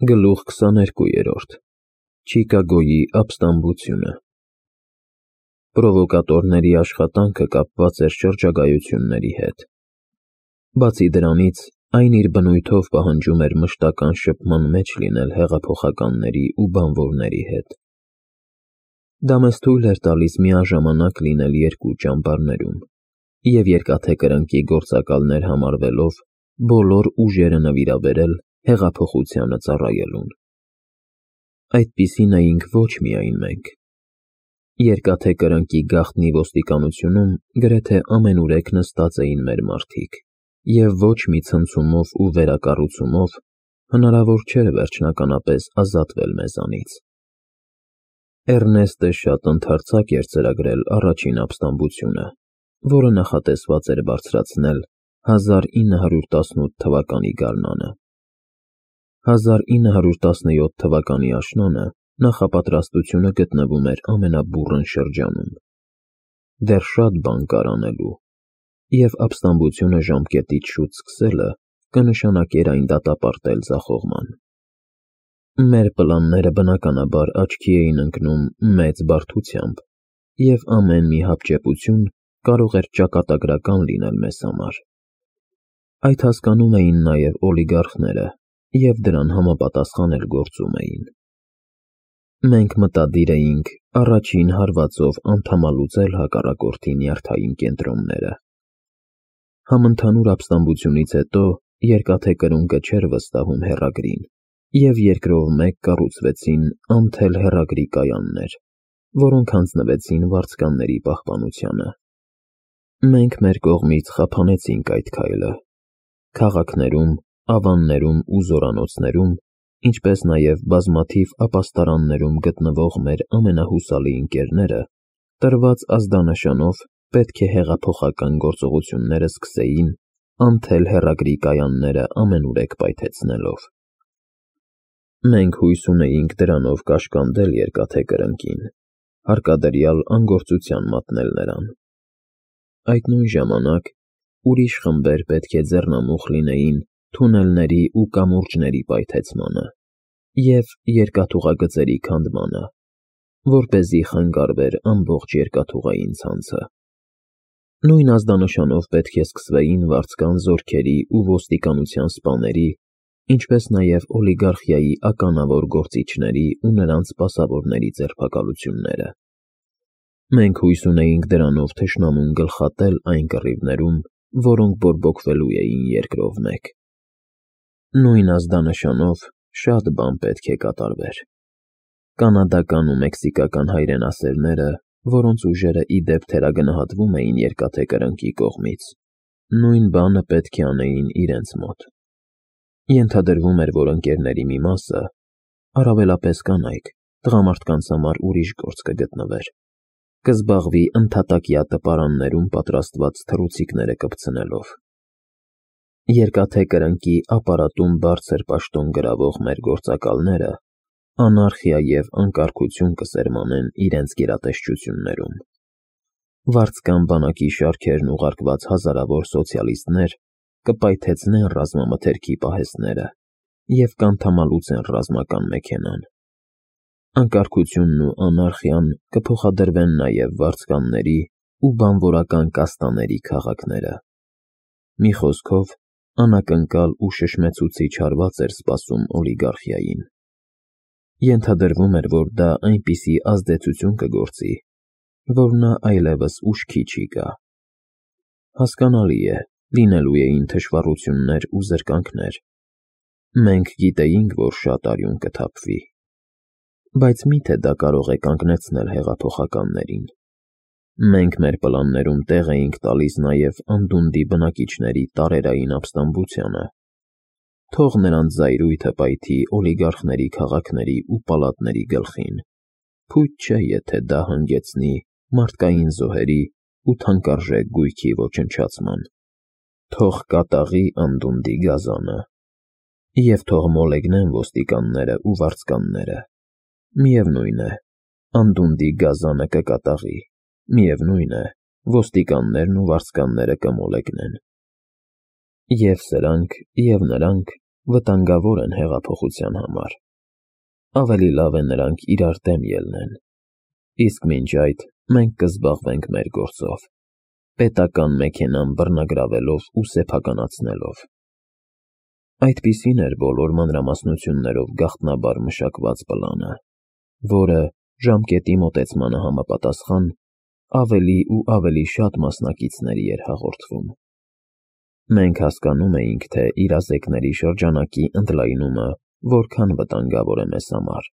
Գլուխ 22 Չիկագոյի ապստամբությունը Պրովոկատորների աշխատանքը կապված էր շրջագայությունների հետ։ Բացի դրանից, այն իր բնույթով պահանջում էր մշտական շփման մեջ լինել հեղափոխականների ու բանվորների հետ։ Դա մեզ թույլ էր տալիս միաժամանակ լինել երկու ճամբարներում և երկաթե կրնկի գործակալներ համարվելով բոլոր ուժերը նվիրաբերել հեղափոխությանը ծառայելուն։ Այդպիսին էինք ոչ միայն մենք։ Երկաթե կրնկի գաղտնի ոստիկանությունում գրեթե ամենուրեք նստած էին մեր մարդիկ, և ոչ մի ցնցումով ու վերակառուցումով հնարավոր չէր վերջնականապես ազատվել մեզանից։ Էռնեստը շատ ընդարձակ էր ծրագրել առաջին ապստամբությունը, որը նախատեսված էր բարձրացնել 1918 թվականի գարնանը։ 1917 թվականի աշնանը նախապատրաստությունը գտնվում էր ամենաբուռն շրջանում։ Դեռ շատ բան կար անելու, և ապստամբությունը ժամկետից շուտ սկսելը կնշանակեր այն դատապարտել ձախողման։ Մեր պլանները բնականաբար աչքի էին ընկնում մեծ բարդությամբ, և ամեն մի հապճեպություն կարող էր ճակատագրական լինել մեզ համար։ Այդ հասկանում էին նաև օլիգարխները և դրան համապատասխան էլ գործում էին։ Մենք մտադիր էինք առաջին հարվածով անդամալուծել հակառակորդի նյարդային կենտրոնները։ Համընդհանուր ապստամբությունից հետո երկաթե կրունկը չէր վստահում հեռագրին, և երկրով մեկ կառուցվեցին անթել հեռագրի կայաններ, որոնք հանձնվեցին վարձկանների պահպանությանը։ Մենք մեր կողմից խափանեցինք այդ քայլը։ Քաղաքներում, ավաններում ու զորանոցներում, ինչպես նաև բազմաթիվ ապաստարաններում գտնվող մեր ամենահուսալի ընկերները տրված ազդանշանով պետք է հեղափոխական գործողությունները սկսեին անթել հեռագրի կայանները ամենուրեք պայթեցնելով։ Մենք հույս ունեինք դրանով կաշկանդել երկաթե կրնկին, հարկադրյալ անգործության մատնել նրան։ Այդ նույն ժամանակ ուրիշ խմբեր պետք է ձեռնամուխ լինեին թունելների ու կամուրջների պայթեցմանը և երկաթուղագծերի քանդմանը, որպեսզի խանգարվեր ամբողջ երկաթուղային ցանցը։ Նույն ազդանշանով պետք է սկսվեին վարձկան զորքերի ու ոստիկանության սպաների, ինչպես նաև օլիգարխիայի ականավոր գործիչների ու նրանց սպասավորների ձերբակալությունները։ Մենք հույս ունեինք դրանով թշնամուն գլխատել այն կռիվներում, որոնք բորբոքվելու էին երկրով մեկ։ Նույն ազդանշանով շատ բան պետք է կատարվեր։ Կանադական ու մեքսիկական հայրենասերները, որոնց ուժերը ի դեպ թերագնահատվում էին երկաթե կրնկի կողմից, նույն բանը պետք է անեին իրենց մոտ։ Ենթադրվում էր, որ ընկերների մի մասը, առավելապես կանայք, տղամարդկանց համար ուրիշ գործ կգտնվեր, կզբաղվի ընդհատակյա տպարաններում պատրաստված թռուցիկները կպցնելով։ Երկաթե կրնկի ապարատում բարձր պաշտոն գրավող մեր գործակալները անարխիա և անկարգություն կսերմանեն իրենց գերատեսչություններում։ Վարձկան բանակի շարքերն ուղարկված հազարավոր սոցիալիստներ կպայթեցնեն ռազմամթերքի պահեստները և կանթամալուծեն ռազմական մեքենան։ Անկարգությունն ու անարխիան կփոխադրվեն նաև վարձկանների ու բանվորական կաստաների քաղաքները։ Մի խոսքով, անակնկալ ու շշմեցուցիչ հարված էր սպասում օլիգարխիային։ Ենթադրվում էր, որ դա այնպիսի ազդեցություն կգործի, որ նա այլևս ուշքի չի գա։ Հասկանալի է, լինելու էին թշվառություններ ու զրկանքներ։ Մենք գիտեինք, որ շատ արյուն կթափվի։ Բայց մի՞թե դա կարող է կանգնեցնել հեղափոխականներին։ Մենք մեր պլաններում տեղ էինք տալիս նաև անդունդի բնակիչների տարերային ապստամբությանը։ Թող նրանց զայրույթը պայթի օլիգարխների քաղաքների ու պալատների գլխին, փույթ չէ, եթե դա հանգեցնի մարդկային զոհերի ու թանկարժեք գույքի ոչնչացման։ Թող կատաղի անդունդի գազանը, և թող մոլեգնեն ոստիկանները ու վարձկանները։ Միևնույն է, անդունդի գազանը կկատաղի, միևնույն է, ոստիկաններն ու վարձկանները կմոլեգնեն։ Եվ սրանք, և նրանք վտանգավոր են հեղափոխության համար։ Ավելի լավ է նրանք իրար դեմ ելնեն։ Իսկ մինչ այդ մենք կզբաղվենք մեր գործով, պետական մեքենան բռնագրավելով ու սեփականացնելով։ Այդպիսին էր բոլոր մանրամասնություններով գաղտնաբար մշակված պլանը, որը ժամկետի մոտեցմանը համապատասխան ավելի ու ավելի շատ մասնակիցների էր հաղորդվում։ Մենք հասկանում էինք, թե իրազեկների շրջանակի ընդլայնումը որքան վտանգավոր է մեզ համար։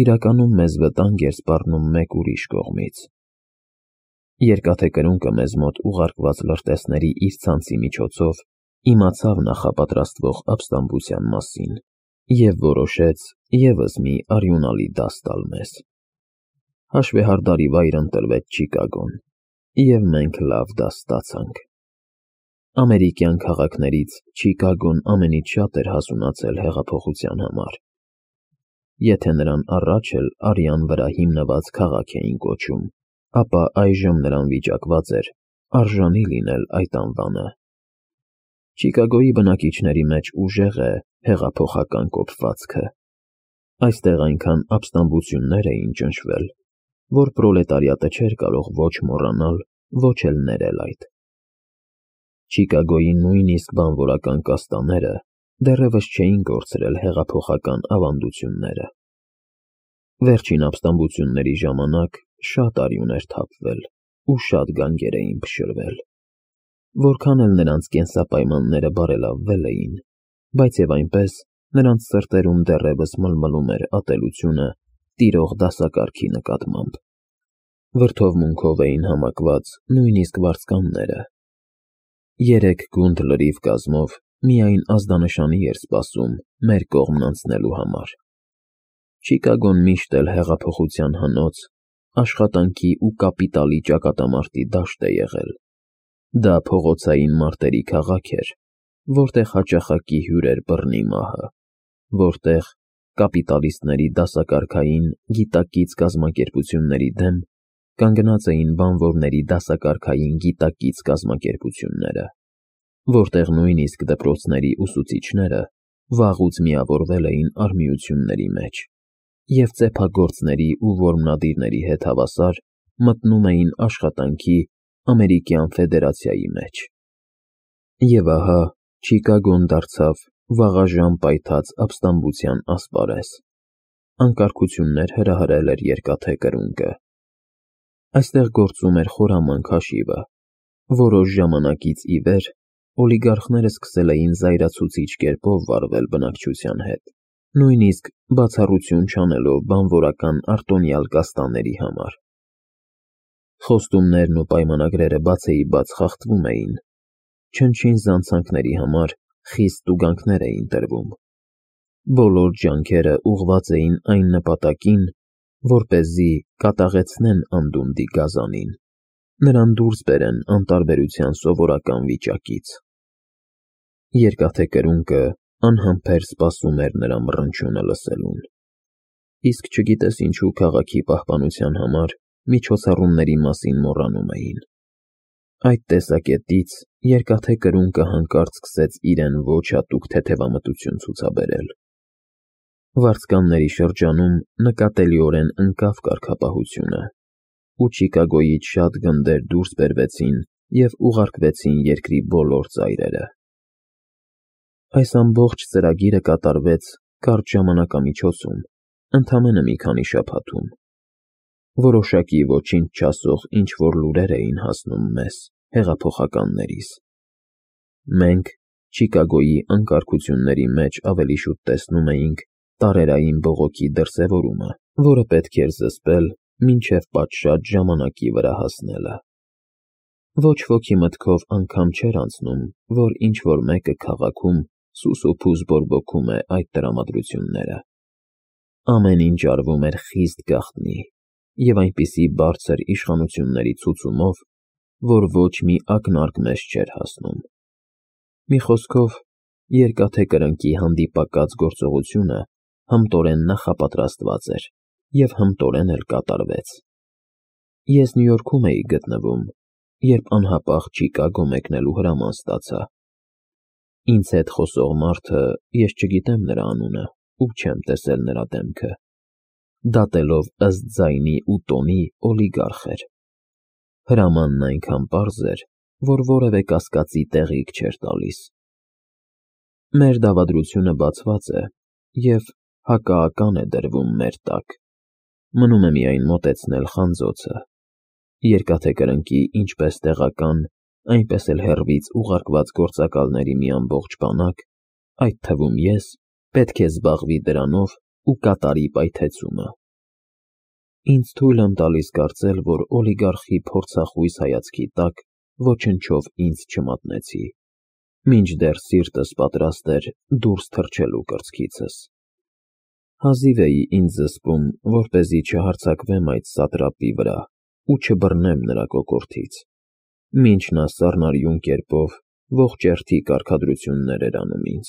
Իրականում մեզ վտանգ էր սպառնում մեկ ուրիշ կողմից։ Երկաթե կրունկը մեզ մոտ ուղարկված լրտեսների իր ցանցի միջոցով իմացավ նախապատրաստվող ապստամբության մասին և որոշեց ևս մի արյունալի դաս տալ մեզ։ Հաշվեհարդարի վայր ընտրվեց Չիկագոն, և մենք լավ դաս ստացանք։ Ամերիկյան քաղաքներից Չիկագոն ամենից շատ էր հասունացել հեղափոխության համար։ Եթե նրան առաջ էլ արյան վրա հիմնված քաղաք էին կոչում, ապա այժմ նրան վիճակված էր արժանի լինել այդ անվանը։ Չիկագոյի բնակիչների մեջ ուժեղ է հեղափոխական կոփվածքը։ Այստեղ այնքան ապստամբություններ էին ճնշվել, որ պրոլետարիատը չէր կարող ոչ մոռանալ, ոչ էլ ներել այդ։ Չիկագոյի նույնիսկ բանվորական կաստաները դեռևս չէին կորցրել հեղափոխական ավանդությունները։ Վերջին ապստամբությունների ժամանակ շատ արյուն էր թափվել ու շատ գանգեր էին փշրվել։ Որքան էլ նրանց կենսապայմանները բարելավվել էին, բայց և այնպես նրանց սրտերում դեռևս մլմլում էր ատելությունը տիրող դասակարգի նկատմամբ։ Վրդովմունքով էին համակված նույնիսկ վարձկանները։ 3 գունդ լրիվ կազմով միայն ազդանշանի էր սպասում մեր կողմն անցնելու համար։ Չիկագոն միշտ էլ հեղափոխության հնոց, աշխատանքի ու կապիտալի ճակատամարտի դաշտ է եղել։ Դա փողոցային մարտերի քաղաք էր, որտեղ հաճախակի հյուր էր բռնի մահը, որտեղ կապիտալիստների դասակարգային գիտակից կազմակերպությունների դեմ կանգնած էին բանվորների դասակարգային գիտակից կազմակերպությունները, որտեղ նույնիսկ դպրոցների ուսուցիչները վաղուց միավորվել էին արմիությունների մեջ և ծեփագործների ու որմնադիրների հետ հավասար մտնում էին աշխատանքի ամերիկյան ֆեդերացիայի մեջ։ Եվ ահա Չիկագոն դարձավ վաղաժամ պայթած ապստամբության ասպարեզ։ Անկարգություններ հրահրել էր երկաթե կրունկը։ Այստեղ գործում էր խորամանկ հաշիվը։ Որոշ ժամանակից ի վեր օլիգարխները սկսել էին զայրացուցիչ կերպով վարվել բնակչության հետ, նույնիսկ բացառություն չանելով բանվորական արտոնյալ կաստաների համար։ Խոստումներն ու պայմանագրերը բացեիբաց խախտվում էին, չնչին զանցանքների համար խիստ տուգանքներ էին տրվում։ Բոլոր ջանքերը ուղղված էին այն նպատակին, որպեսզի կատաղեցնեն անդունդի գազանին, նրան դուրս բերեն անտարբերության սովորական վիճակից։ Երկաթե կրունկը անհամբեր սպասում էր նրա մռնչյունը լսելուն։ Իսկ չգիտես ինչու քաղաքի պահպանության համար միջոցառումների մասին մոռանում էին։ Այդ տեսակետից երկաթե կրունկը հանկարծ սկսեց իրեն ոչ հատուկ թեթևամտություն ցուցաբերել։ Վարձկանների շրջանում նկատելիորեն ընկավ կարգապահությունը, ու Չիկագոյից շատ գնդեր դուրս բերվեցին և ուղարկվեցին երկրի բոլոր ծայրերը։ Այս ամբողջ ծրագիրը կատարվեց կարճ ժամանակամիջոցում, ընդամենը մի քանի շաբաթում։ Որոշակի ոչինչ չասող ինչ-որ լուրեր էին հասնում մեզ, հեղափոխականներիս։ Մենք Չիկագոյի անկարգությունների մեջ ավելի շուտ տեսնում էինք տարերային բողոքի դրսևորումը, որը պետք էր զսպել մինչև պատշաճ ժամանակի վրա հասնելը։ Ոչ ոքի մտքով անգամ չէր անցնում, որ ինչ-որ մեկը քաղաքում սուսուփուզ բորբոքում է այդ տրամադրությունները։ Ամեն ինչ արվում էր խիստ գաղտնի և այնպիսի բարձր իշխանությունների ցուցումով, որ ոչ մի ակնարկ մեզ չէր հասնում։ Մի խոսքով, երկաթե կրնկի հանդիպակաց գործողությունը հմտորեն նախապատրաստված էր և հմտորեն էլ կատարվեց։ Ես Նյու Յորքում էի գտնվում, երբ անհապաղ Չիկագո մեկնելու հրաման ստացա։ Ինձ հետ խոսող մարդը, ես չգիտեմ նրա անունը ու չեմ տեսել նրա դեմքը, դատելով ըստ ձայնի ու տոնի օլիգարխ էր։ Հրամանն այնքան պարզ էր, որ որևէ կասկածի տեղիք չէր տալիս։ Մեր դավադրությունը բացված է և հակաական է դրվում մեր տակ։ Մնում է միայն մոտեցնել խանձոցը։ Երկաթե կրնկի ինչպես տեղական, այնպես էլ հեռվից ուղարկված գործակալների մի ամբողջ բանակ, այդ թվում ես, պետք է զբաղվի դրանով ու կատարի պայթեցումը։ Ինձ թույլ եմ տալիս կարծել, որ օլիգարխի փորձախույս հայացքի տակ ոչնչով ինձ չմատնեցի, մինչդեռ սիրտս պատրաստ էր դուրս թռչելու կրծքիցս։ Հազիվ էի ինձ զսպում, որպեսզի չհարձակվեմ այդ սատրապի վրա ու չբռնեմ նրա կոկորդից, մինչ նա սառնարյուն կերպով ողջերթի կարգադրություններ էր անում ինձ։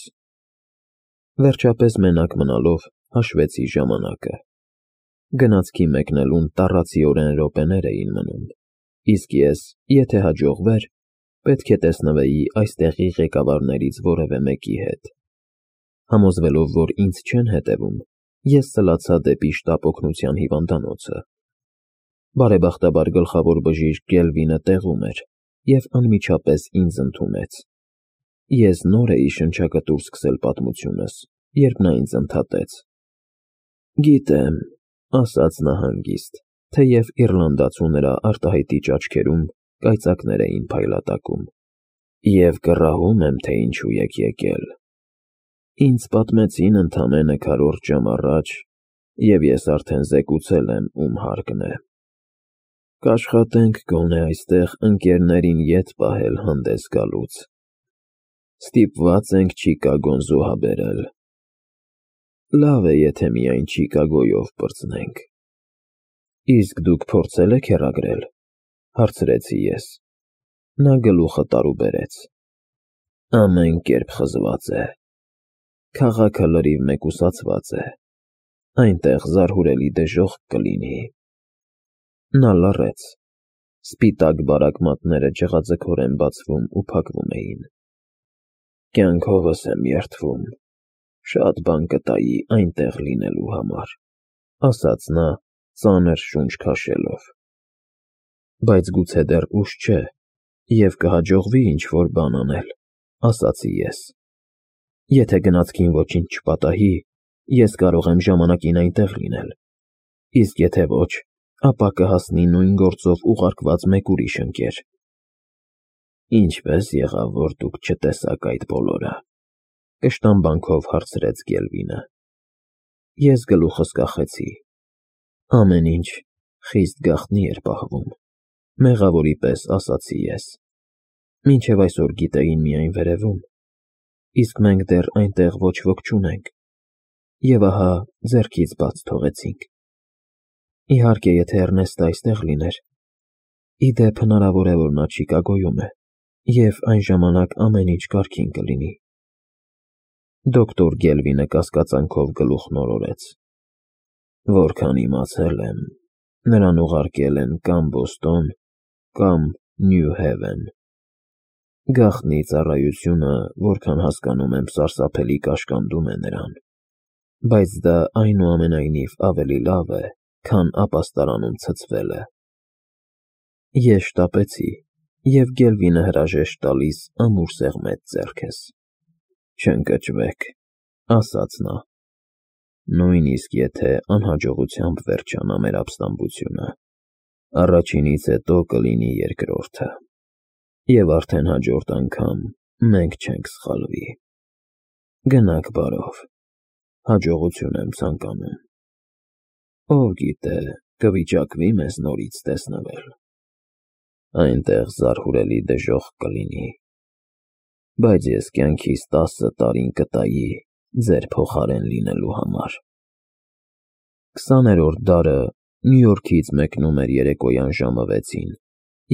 Վերջապես մենակ մնալով հաշվեցի ժամանակը։ Գնացքի մեկնելուն տառացիորեն րոպեներ էին մնում, իսկ ես, եթե հաջողվեր, պետք է տեսնվեի այստեղի ղեկավարներից որևէ մեկի հետ։ Համոզվելով, որ ինձ չեն հետևում, ես սլացա դեպի շտապ օգնության հիվանդանոցը։ Բարեբախտաբար գլխավոր բժիշկ Գելվինը տեղում էր և անմիջապես ինձ ընդունեց։ Ես նոր էի շնչակտուր սկսել պատմությունս, երբ նա ինձ ընդհատեց։ Գիտեմ, ասաց նա հանգիստ, թեև իռլանդացու նրա արտահայտիչ աչքերում կայծակներ էին փայլատակում, և կռահում եմ, թե ինչու եք եկել։ Ինձ պատմեցին ընդամենը քառորդ ժամ առաջ, և ես արդեն զեկուցել եմ, ում հարկն է։ Կաշխատենք գոնե այստեղ ընկերներին ետ պահել հանդես գալուց։ Ստիպված ենք Չիկագոն զոհաբերել։ Լավ է, եթե միայն Չիկագոյով պրծնենք։ Իսկ դուք փորձել եք հեռագրել, հարցրեցի ես։ Նա գլուխը տարուբերեց։ Ամեն կերպ խզված է։ Քաղաքը լրիվ մեկուսացված է։ Այնտեղ զարհուրելի դժոխք կլինի։ Նա լռեց։ Սպիտակ բարակ մատները ջղաձգորեն բացվում ու փակվում էին։ Կյանքովս եմ երդվում։ Շատ բան կտայի այնտեղ լինելու համար, ասաց նա, ծանր շունչ քաշելով։ Բայց գուցե դեռ ուշ չէ, և կհաջողվի ինչ-որ բան անել, ասացի ես։ Եթե գնացքին ոչինչ չպատահի, ես կարող եմ ժամանակին այնտեղ լինել, իսկ եթե ոչ, ապա կհասնի նույն գործով ուղարկված մեկ ուրիշ ընկեր։ Ինչպե՞ս եղավ, որ դուք չտեսաք այդ բոլորը, կշտամբանքով հարցրեց Գելվինը։ Ես գլուխս կախեցի։ Ամեն ինչ խիստ գաղտնի էր պահվում, մեղավորի պես ասացի ես։ Մինչև այսօր գիտեին միայն վերևում, իսկ մենք դեռ այնտեղ ոչ ոք չունենք, և ահա ձեռքից բաց թողեցինք։ Իհարկե, եթե Էռնեստը այստեղ լիներ։ Ի դեպ, հնարավոր է, որ նա Չիկագոյում է, և այն ժամանակ ամեն ինչ կարգին կլինի։ Դոկտոր Գելվինը կասկածանքով գլուխն օրորեց։ Որքան իմացել եմ, նրան ուղարկել են կամ Բոստոն, կամ Նյու Հեվեն։ Գաղտնի ծառայությունը, որքան հասկանում եմ, սարսափելի կաշկանդում է նրան, բայց դա այնուամենայնիվ ավելի լավ է, քան ապաստարանում ցցվելը։ Ես շտապեցի, և Գելվինը հրաժեշտ տալիս ամուր սեղմեց ձեռքս։ Չընկճվեք, ասաց նա։ Նույնիսկ եթե անհաջողությամբ վերջանա մեր ապստամբությունը, առաջինից հետո կլինի երկրորդը, և արդեն հաջորդ անգամ մենք չենք սխալվի։ Գնաք բարով, հաջողություն եմ ցանկանում։ Ով գիտե, կվիճակվի մեզ նորից տեսնվել։ Այնտեղ զարհուրելի դժոխք կլինի, բայց ես կյանքիս 10 տարին կտայի ձեր փոխարեն լինելու համար։ 20-րդ դարը Նյու Յորքից մեկնում էր երեկոյան ժամը 6-ին,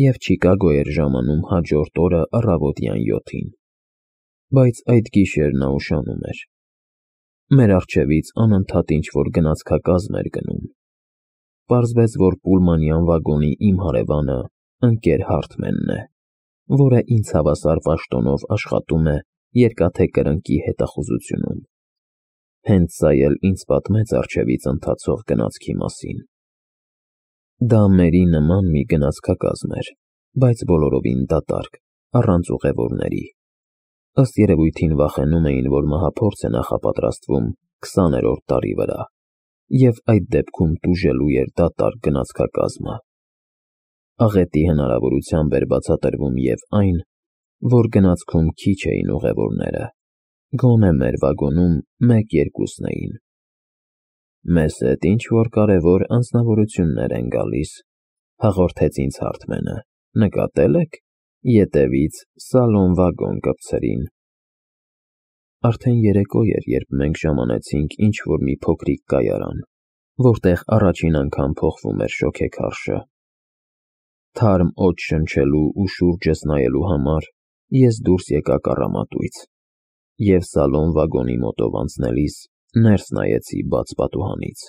և Չիկագո էր ժամանում հաջորդ օրը առավոտյան 7-ին, բայց այդ գիշեր նա ուշանում էր։ Մեր առջևից անընդհատ ինչ-որ գնացքակազմ էր գնում։ Պարզվեց, որ պուլմանյան վագոնի իմ հարևանը ընկեր Հարթմենն է, որը ինձ հավասար պաշտոնով աշխատում է երկաթե կրնկի հետախուզությունում։ Հենց սա էլ ինձ պատմեց առջևից ընթացող գնացքի մասին։ Դա մերի նման մի գնացքակազմ էր, բայց բոլորովին դատարկ, առանց ուղևորների։ Ըստ երևույթին վախենում էին, որ մահափորձ է նախապատրաստվում 20-րդ տարի վրա, և այդ դեպքում տուժելու էր դատարկ գնացքակազմը։ Աղետի հնարավորությամբ էր բացատրվում և այն, որ գնացքում քիչ էին ուղևորները, գոնե մեր վագոնում 1-2-ն էին։ Մեզ հետ ինչ-որ կարևոր անձնավորություններ են գալիս, հաղորդեց ինձ Հարթմենը, նկատել եք, ետևից սալոն-վագոն կպցրին։ Արդեն երեկո էր, երբ մենք ժամանեցինք ինչ-որ մի փոքրիկ կայարան, որտեղ առաջին անգամ փոխվում էր շոգեքարշը։ Թարմ օդ շնչելու ու շուրջս նայելու համար ես դուրս եկա կառամատույց, և սալոն-վագոնի մոտով անցնելիս ներս նայեցի բաց պատուհանից։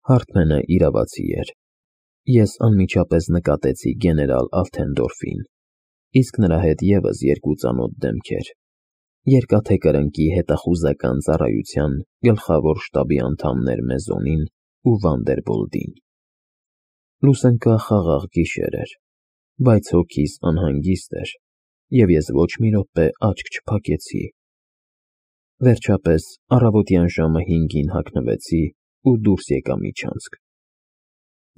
Հարթմենը իրավացի էր։ Ես անմիջապես նկատեցի գեներալ Ալթենդորֆին, իսկ նրա հետ ևս 2 ծանոթ դեմքեր՝ երկաթե կրնկի հետախուզական ծառայության գլխավոր շտաբի անդամներ Մեզոնին ու Վանդերբոլդին։ Լուսընկա խաղաղ գիշեր էր, բայց հոգիս անհանգիստ էր, և ես ոչ մի րոպե աչք չփակեցի։ Վերջապես առավոտյան ժամը 5-ին հագնվեցի ու դուրս եկա միջանցք։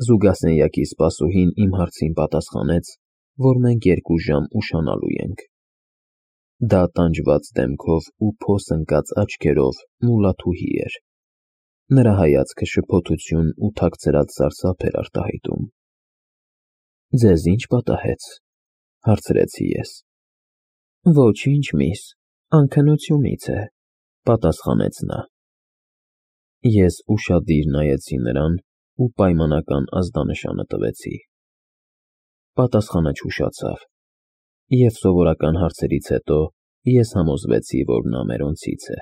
Զուգասենյակի սպասուհին իմ հարցին պատասխանեց, որ մենք 2 ժամ ուշանալու ենք։ Դա տանջված դեմքով ու փոս ընկած աչքերով մուլլաթուհի էր։ Նրա հայացքը շփոթություն ու թաքցրած սարսափ էր արտահայտում։ Ձեզ ի՞նչ պատահեց, հարցրեցի ես։ Ոչինչ, միս, անքնությունից է, պատասխանեց նա։ Ես ուշադիր նայեցի նրան ու պայմանական ազդանշանը տվեցի։ Պատասխանը չուշացավ, և սովորական հարցերից հետո ես համոզվեցի, որ նա մերոնցից է։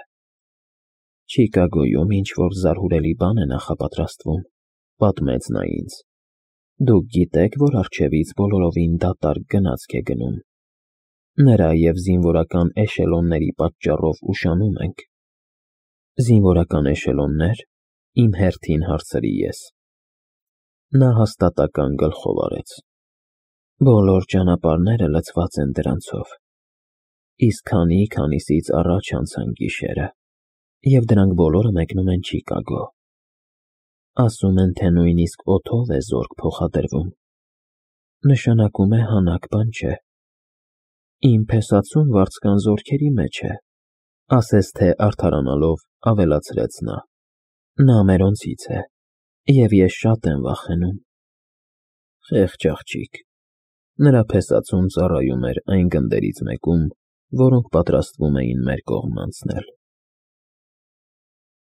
Չիկագոյում ինչ-որ զարհուրելի բան է նախապատրաստվում, պատմեց նա ինձ։ Դուք գիտեք, որ առջևից բոլորովին դատարկ գնացք է գնում։ Նրա և զինվորական էշելոնների պատճառով ուշանում ենք։ Զինվորական էշելոննե՞ր, իմ հերթին հարցրի ես։ Նա հաստատական գլխով արեց։ Բոլոր ճանապարհները լցված են դրանցով։ Իսկ քանիսից առաջ անցան գիշերը, և դրանք բոլորը մեկնում են Չիկագո։ Ասում են, թե նույնիսկ օդով է զորք փոխադրվում։ Նշանակում է հանաք բան չէ։ Իմ փեսացուն վարձկան զորքերի մեջ է, ասես թե արդարանալով ավելացրեց նա։ Նա մերոնցից է, և ես շատ եմ վախենում։ Խեղճ աղջիկ։ Նրա փեսացուն ծառայում էր այն գնդերից մեկում, որոնք պատրաստվում էին մեր կողմն անցնել։